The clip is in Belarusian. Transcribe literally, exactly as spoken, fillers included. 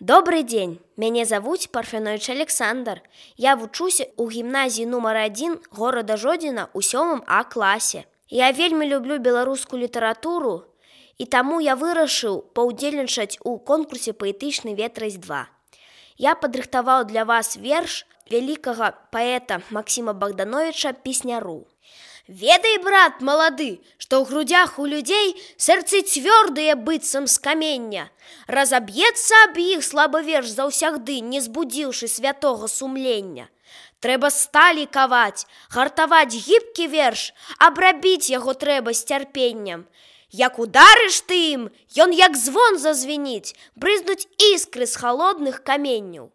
Добрый дзень, мяне завуць Парфянович Александр. Я вучуся ў гімназіі нумар адзін горада Жодзіна ў сёмым А класе. Я вельмі люблю беларускую літаратуру, і таму я вырашыў паўдзельнічаць у конкурсе паэтычны ветразь два. Я падрыхтаваў для вас верш вялікага паэта Максіма Богдановича Песняру. Ведай, брат малады, што ў грудях у людзей сэрцы цвёрдыя быццам з камення. Разаб'ецца аб іх слабы верш заўсягды, не збудзіўшы святога сумлення. Трэба сталі каваць, гартаваць гібкі верш, абрабіць яго трэба з цярпеннем. Як ударыш ты ім, ён як звон зазвініць, брызнуць іскры з халодных каменняў.